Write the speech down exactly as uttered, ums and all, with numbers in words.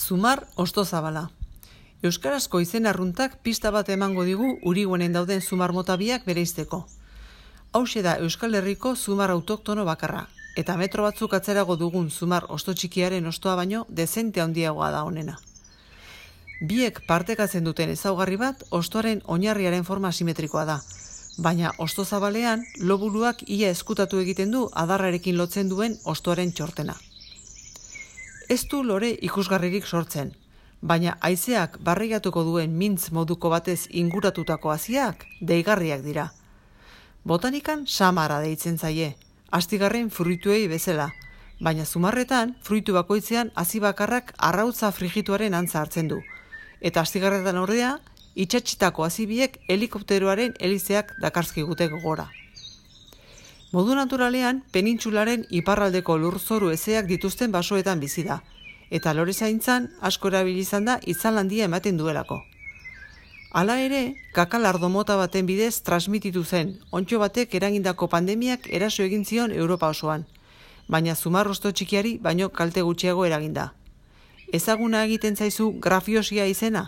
Zumar ostozabala. Euskarazko izen arruntak pista bat emango digu Urigoenen dauden zumar mota biak bereizteko. Hauxe da Euskal Herriko zumar autoktono bakarra, eta metro batzuk atzerago dugun zumar osto txikiaren ostoa baino dezente handiagoa da honena. Biek partekatzen duten ezaugarri bat ostoaren oinarriaren forma asimetrikoa da, baina ostozabalean lobuluak ia eskutatu egiten du adarrarekin lotzen duen ostoaren txortena. Ez du lore ikusgarririk sortzen, baina haizeak barreigatuko duen mintz moduko batez inguratutako haziak deigarriak dira. Botanikan samara deitzen zaie, astigarren fruituei bezala, baina zumarretan fruitu bakoitzean hazi bakarrak arrautza frigituaren antza hartzen du, eta astigarretan ordea itsatsitako hazi biek helikopteroaren helizeak dakarzkigute gogora. Modu naturalean, penintsularen iparraldeko lurzoru hezeak dituzten basoetan bizi da, eta lore zaintzan asko erabili izan da itzal handia ematen duelako. Hala ere, kakalardo mota baten bidez transmititu zen, ontxo batek eragindako pandemiak eraso egin zion Europa osoan, baina zumar osto txikiari baino kalte gutxiago eraginda. Ezaguna egiten zaizu grafiosia izena?